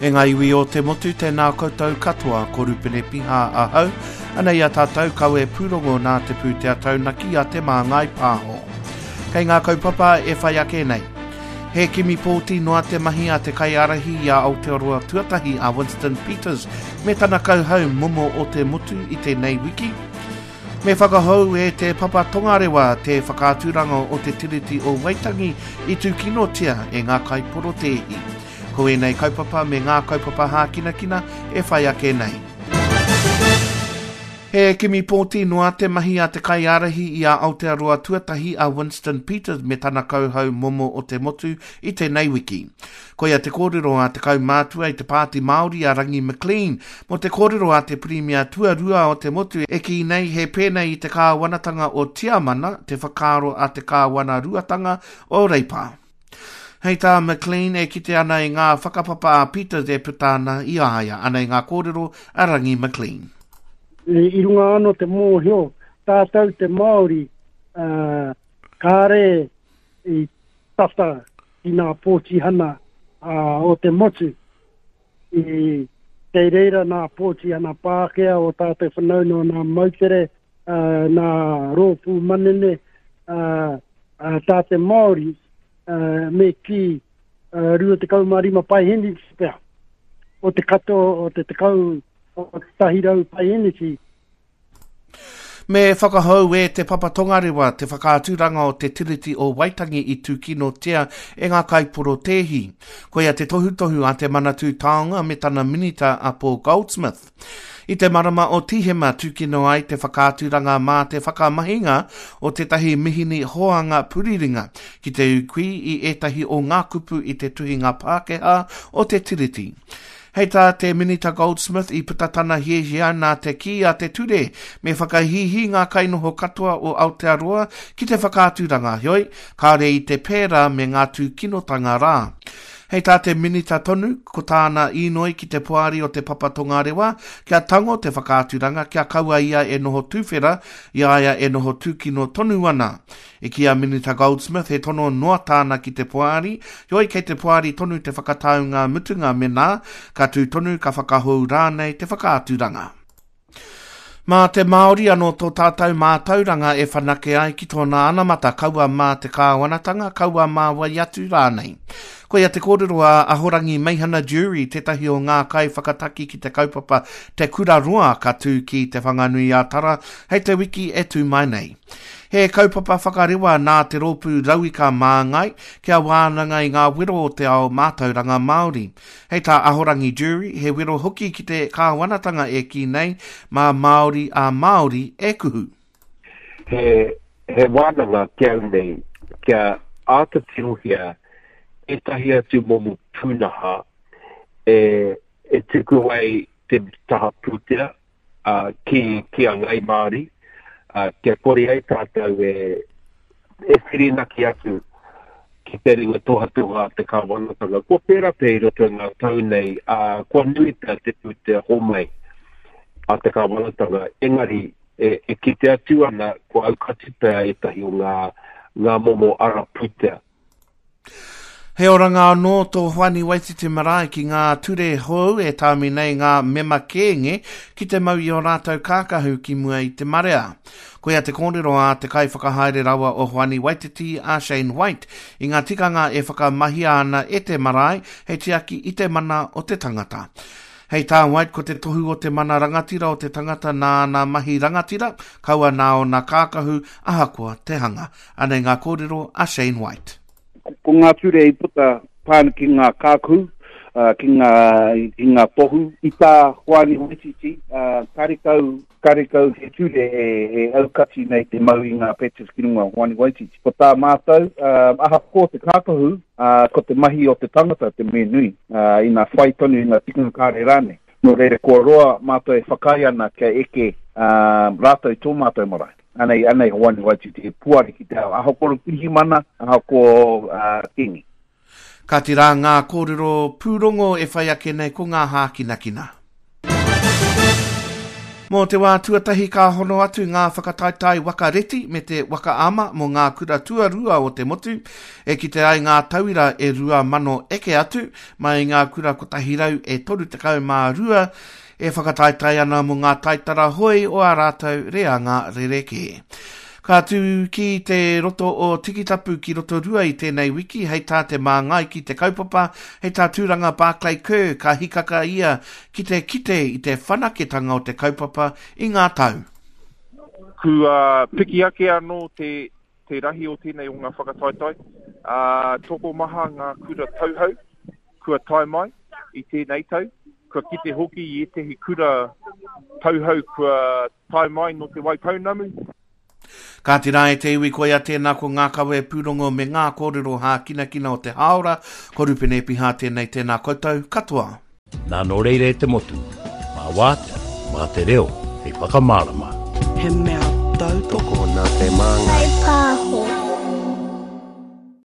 E ngā iwi o te motu, tēnā koutou katoa, ko Rupene Piha ahau, anei a tātou kawe pūrongo nā te pūtea taunaki a Te Māngai Pāho. Kei ngā kaupapa e whai ake nei. He kimi pōti noa te mahi a te kaiārahi i a Aotearoa Tuatahi a Winston Peters me tana kauhau momo o te motu i tēnei wiki. Me whakahou e Te Papa Tongarewa te whakaaturanga o te Tiriti o Waitangi i tūkinotia e ngā kaiporotēhi. Ko ēnei kaupapa me ngā kaupapa hākinakina e whai ake nei. He kimi pōti noa te mahi a te kaiārahi i a Aotearoa Tuatahi a Winston Peters me tana kauhau momo o te motu i tēnei wiki. Koia te kōrero a te kaumātua i te Pāti Māori a Rangi McLean mō te kōrero a te Pirimia tuarua o te motu e kī nei he pēnei i te kāwanatanga o Tiamana te whakaaro a te kāwanaruatanga o Reipa. Hei tā McLean e kite ana i ngā whakapapa a Peters e puta ana i a ia. Anei ngā kōrero a Rangi McLean. I runga anō te mōhio, tātou te Māori, kāre i tata ki nā pōtihana o te motu. I, kei reira nā pōtihana Pākehā o tātou whanaunga o nā moutere, nā rōpū manene, tā te Māori, me kī 25 paeheneti pea o te katoa o te tekau o te 100 paeheneti. Me whakahou e Te Papa Tongarewa te whakaaturanga o te Tiriti o Waitangi i tūkinotia e ngā kaiporotēhi. Koia te tohutohu a te Manatū Taonga me tana minita a Paul Goldsmith. I te marama o Tīhema tūkino ai te whakaaturanga mā te whakamahinga o tētahi mihini hoanga puriringa ki te ūkui i ētahi o ngā kupu i te tuhinga Pākehā o te Tiriti. Hei tā te Minita Goldsmith i puta tana hiahia nā te kī a te ture me whakahīhī ngā kainoho katoa o Aotearoa ki te whakaaturanga, heoi, kāore i te pērā me ngā tūkinotanga rā. Hei tā te Minita tonu, ko tāna īnoi ki te Poari o Te Papa Tongarewa kia tango te whakaaturanga kia kaua ia e noho tuwhera i a ia e noho tūkino tonu ana. I kī a Minita Goldsmith he tono noa tāna ki te Poari, heoi kei te Poari tonu te whakataunga mutunga menā ka tū tonu ka whakahou rānei te whakaaturanga. Mā te Māori anō tō tātou mātauranga e whanake ai ki tōna anamata, kaua mā te kāwanatanga, kaua mā wai atu rānei. Koia te kōrero a Ahorangi Meihana Jury, tētahi o ngā kaiwhakataki ki te kaupapa Te Kura Roa ka tū ki Te Whanganui-a-Tara hei te wiki e tū mai nei. He kaupapa whakarewa nā te rōpū Rauika Māngai kia wānanga i ngā wero o te ao mātauranga Māori. Hei tā Ahorangi Jury, he wero hoki ki te kāwanatanga e kī nei, mā Māori a Māori e kuhu. He, he wānanga ki au nei kia āta tirohia ētahi atu momo pūnaha e, e tuku ai te taha pūtea ki, ki a Ngai Māori, kia kore ai tātou e, e whirinaki atu ki te ringa tohatoha a te kāwanatanga. Kua pērā pea i roto i ngā tau nei, ā, kua nui pea te pūtea homai a te kāwanatanga, engari e, e kite atu ana kua aukati pea ētahi o ngā, ngā momo ara pūtea. He oranga anō tō Hoani Waititi Marae ki ngā ture hou e tāmi nei ngā mema kēnge ki te mau i ō rātou kākahu ki mua i te marea. Koia te kōrero a te kaiwhakahaere rawa o Hoani Waititi a Shane White i ngā tikanga e whakamahia ana e te marae hei tiaki i te mana o te tangata. Hei tā White ko te tohu o te mana rangatira o te tangata nā ana mahi rangatira, kaua nā ōna kākahu ahakoa te hanga. Anei ngā kōrero a Shane White. Ko ngā ture i puta pā ana ki ngā kākahu, ki ngā, ki ngā tohu. I tā Hoani Waititi, karekau, karekau he ture e, e aukati nei te mau i ngā patches ki runga o Hoani Waititi. Ko tā mātou, ahakoa te kākahu, ko te mahi o te tangata te mea nui, ina whai tonu i ngā tikanga kāre rānei. Nō reira, kua roa mātou e whakaae ana kia eke rātou i tō mātou marae. Anei, anei Hoani Waititi e puare ki te ao, ahakoa pirihimana, ahakoa kingi. Kāti rā ngā kōrero pūrongo e whai ake nei ko ngā hākinakina. Mō te wā tuatahi ka hono atu ngā whakataetae waka reti me te waka ama mō ngā kura tuarua o te motu, e kite ai ngā tauira e 2,000 eke atu mai i ngā kura 132 e whakataetae ana mō ngā taitara hoi o ā rātou reanga rerekē. Ka tū ki te roto o Tikitapu ki Rotorua i tēnei wiki hei tā te māngai ki te kaupapa, hei tā Tūranga Barclay Kerr ka hikaka ia ki te kite i te whanaketanga o te kaupapa i ngā tau. Kua piki ake anō te te rahi o tēnei o ngā whakataetae, ā, tokomaha ngā kura tauhou kua tae mai i tēnei tau, kua kite hoki i ētehi kura tauhou kua tae mai nō Te Waipounamu. Kāti rā e te iwi koia tēnā ko ngā kawe pūrongo me ngā kōrero hākinakina o te hāora, ko Rupene Epiha tēnei tēnā koutou katoa. Nā nō reira e te motu, mā wātea, mā te reo hei whakamārama. He mea tautoko nā te māngai. Whai pāho.